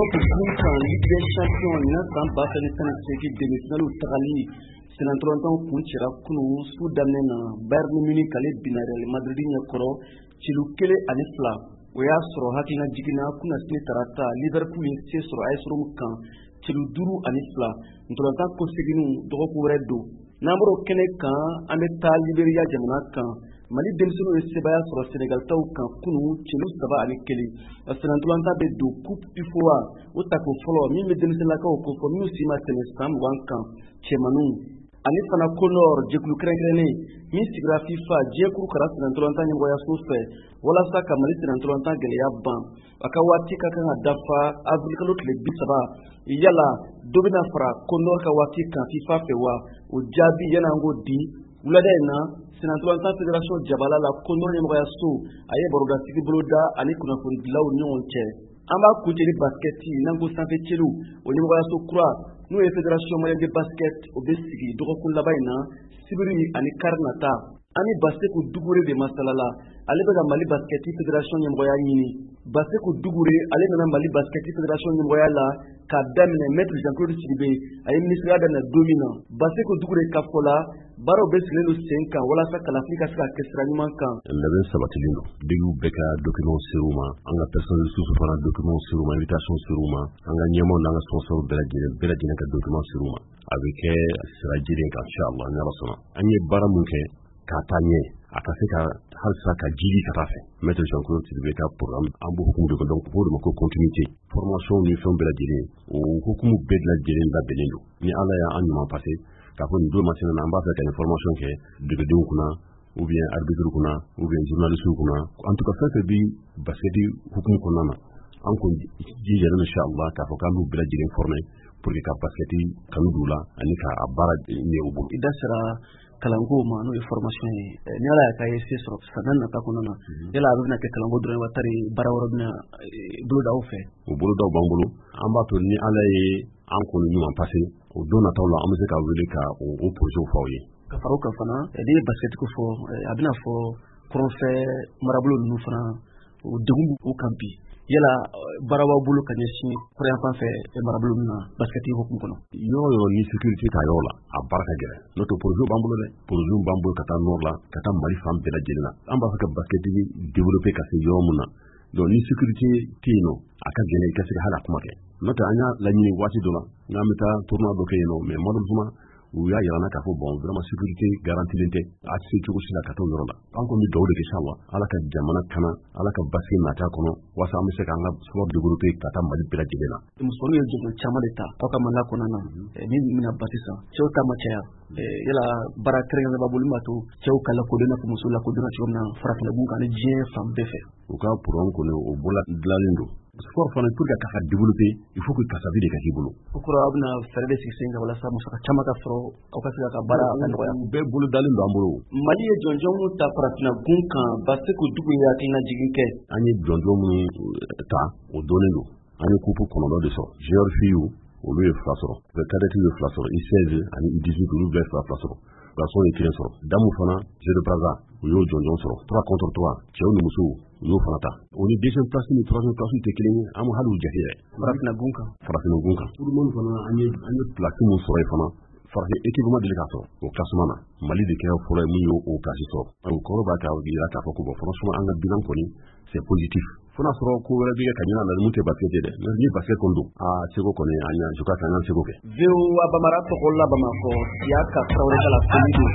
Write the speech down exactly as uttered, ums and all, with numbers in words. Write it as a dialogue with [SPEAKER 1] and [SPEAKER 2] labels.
[SPEAKER 1] Europe gun kan, Ligue des Champions ɲinan san ba fila ni tan ni seegin demi-finale tagali senatɔlɔntan kuncɛra kunun su daminɛ na. Bayern Munich ale binna Real Madrid ɲɛkɔrɔ celu kelen ani fila. O y'a sɔrɔ hakilina jiginna kunnasini tarata, Liverpool ye se sɔrɔ A S Rome kan celu duuru ani fila. Ntolatan kɔseginw dɔgɔkun wɛrɛ don. N'an bɔra kɛnɛ kan, an bɛ taa Liberia jamana kan. Mali denmisɛnninw ye sebaya sɔrɔ Senegal taw kan kunu celu saba ani kelen. Senatɔlɔntan bɛ don Coupe UFOA, o tako fɔlɔ min bɛ denmisɛnninlakaw kofɔ minnu si ma tɛmɛ san mugan kan, cɛmaninw. Ani fana CONOR, jɛkulu kɛrɛnkɛrɛnnen min sigira FIFA, diɲɛ kuru kara senatɔlɔntan ɲɛmɔgɔyaso fɛ walasa ka Mali senatɔlɔntan gɛlɛya ban, a ka waati ka kan ka dafa avril kalo tile bi saba. Yala dɔ bɛna fara CONOR ka waati kan FIFA fɛ wa? O jaabi, yanni an k'o di, wulada in na senatɔlɔntan fédération jabala la, CONOR ɲɛmɔgɔyaso a ye barodasigi boloda ani kunnafonidilaw ɲɔgɔn cɛ. An b'a kuncɛ ni baskɛti. N'an ko sanfɛ celu, o ɲɛmɔgɔyaso kura, n'o ye Fédération malienne de basket, o bɛ sigi dɔgɔkun laban in na, sibiri ani kari nata. An ni Baseku Dugure de masalala, ale bɛ ka Mali baskɛti fédération ɲɛmɔgɔya ɲini. Baseku Dugure, ale nana Mali baskɛti fédération ɲɛmɔgɔya la k'a daminɛ maître Jean Claude Sidibe a ye ministeriya daminɛ don min na. Baseku Dugure ka fɔ la, baaraw bɛ sigilen don sen kan walasa kalafili ka se ka kɛ sira ɲuman kan.
[SPEAKER 2] Labɛn sabatilen don, ligue bɛɛ ka document ser'u ma, an ka personne ressource fana document ser'u ma, invitation ser'u ma, an ka ɲɛmaaw n'an ka sponsor bɛɛ lajɛlen bɛɛ lajɛlen ka document ser'u ma. A bɛ kɛ sira jɛlen kan, inchallah, ni Ala sɔnna. An ye baara mun kɛ k'a taa ɲɛ, a ka se ka halisa ka jidi ka taa fɛ, maître Jean Claude Sidibe ka programme, an b'o hukumu de kɔnɔ. Donc o de ma ko continuité, formation ni fɛnw bɛɛ lajɛlen, o hukumu bɛɛ lajɛlen labɛnnen don. Ni Ala y'an ɲuman passé k'a fɔ nin don masina na, an b'a fɛ ka nin formation kɛ degedenw kunna ou bien arbitre kunna ou bien journaliste kunna, en tout cas fɛn fɛn bi basket hukumu kɔnɔna na, an kun jijalen inchallah k'a fɔ k'an b'u bɛɛ lajɛlen former pour que ka basket kanu d'u la ani k'a baara ɲɛ u bolo.
[SPEAKER 1] I da sera kalanko ma, n'o ye formation ye. Ni Ala y'a k'a ye se sɔrɔ san nata kɔnɔna na, yala a bɛna kɛ kalanko dɔrɔn wa, tari baara wɛrɛ bɛna boloda aw fɛ?
[SPEAKER 2] O bolodaw b'an bolo. An b'a to ni Ala ye an kɔni ɲuman passé, o don nataw la, an bɛ se ka wele ka o projet fɔ aw ye.
[SPEAKER 1] Ka fara o kan fana, n'i ye basket ko fɔ, a bɛna fɔ kɔrɔnfɛ marabolo ninnu fana, o degun b'u kan bi. Yala baara b'aw bolo ka ɲɛsin kɔrɔyan fan fɛ marabolo ninnu na basket hukumu kɔnɔ?
[SPEAKER 2] Yɔrɔ yɔrɔ ni sécurité t'a yɔrɔ la, a baara ka gɛlɛn. N'o tɛ, projet b'an bolo dɛ, projet b'an bolo ka taa nord la, ka taa Mali fan bɛɛ lajɛlen na. An b'a fɛ ka basket développer ka se yɔrɔ mun na, donc ni sécurité tɛ yen nɔ, a ka gɛlɛn i ka se ka hali a kuma kɛ. N'o tɛ, an y'a laɲini waati dɔ la n'an bɛ taa tournoi dɔ kɛ yen nɔ, mais malheureusement u y'a yira n na k'a fɔ bon, vraiment sécurité garantilen tɛ, a tɛ se cogo si la ka t'o yɔrɔ la. An kɔni bɛ dugawu de kɛ inchallah, Ala ka jamana kana, Ala ka basigi nata kɔnɔ, walasa an bɛ se k'an ka sport développer ka taa Mali bɛɛ lajɛlen na.
[SPEAKER 1] Musomaninw ye jɔnjɔn caman de ta aw ka mandat kɔnɔna na min bɛna ba sisan, cɛw ta ma caya. Yala baara kɛrɛnkɛrɛnnen b'a bolo min b'a to cɛw ka lakodɔn i n'a fɔ musow lakodɔnna cogo min na farafinna gun kan ani diɲɛ fan bɛɛ fɛ?
[SPEAKER 2] U ka programme kɔni, o bɔla dilanlen don. Sport fana, pour que ka développer, il faut que kasabi de ka k'i bolo.
[SPEAKER 1] O kɔrɔ, aw bɛna fɛɛrɛ de sigi sen kan walasa musaka caman ka sɔrɔ, aw ka se ka baara ka nɔgɔya.
[SPEAKER 2] U bɛɛ bolo dalen don an bolo.
[SPEAKER 1] Mali ye jɔnjɔn mun ta farafinna gun kan, Baseku Dugu ye hakilina jigin kɛ.
[SPEAKER 2] An ye jɔnjɔn minnu ta, o dɔnnen don. An ye coupe kɔnɔntɔn de sɔrɔ. Junior filles, olu ye fila sɔrɔ, cadet ye fila sɔrɔ, U seize ani U dix-huit, olu bɛɛ fila fila sɔrɔ, garçon ye kelen sɔrɔ. Damu fana, Jeu de Brazza, u y'o jɔnjɔn sɔrɔ, trois contre trois, cɛw ni musow, u y'o fana ta. O ni deuxième place ni troisième place tɛ kelen ye, an ma hali u jate yɛrɛ.
[SPEAKER 1] Farafinna gun kan.
[SPEAKER 2] Farafinna gun kan, tout le monde fana, an ye an ye place mun sɔrɔ yen fana, farafin équipe ma deli k'a sɔrɔ o classement na. Mali de kɛra fɔlɔ ye mun y'o o place sɔrɔ. O kɔrɔ b'a ka yira k'a fɔ ko bon, franchement, an ka bilan kɔni, c'est positif. Fo n'a sɔrɔ ko wɛrɛ bɛ kɛ ka ɲin'a la mun tɛ basket ye dɛ. Ni basket kɔni don, aa, seko kɔni, an y'a je crois que an y'an seko kɛ.
[SPEAKER 1] V O A Bamara tɔgɔ la Bamakɔ, Siyaka Tarawele ka laseli don.